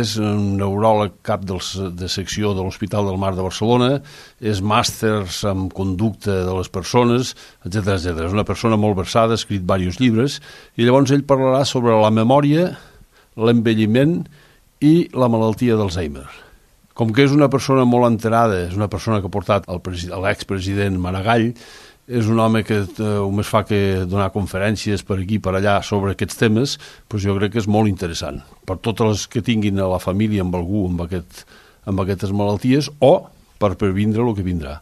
És un neuròleg cap de secció de l'Hospital del Mar de Barcelona, és màsters en conducta de les persones, etc. És una persona molt versada, ha escrit diversos llibres, i llavors ell parlarà sobre la memòria, l'envelliment i la malaltia d'Alzheimer. Com que és una persona molt enterada, és una persona que ha portat l'expresident Maragall, és un home que només fa que donar conferències per aquí i per allà sobre aquests temes, doncs jo crec que és molt interessant per totes les que tinguin a la família amb algú amb aquestes malalties o per previndre el que vindrà.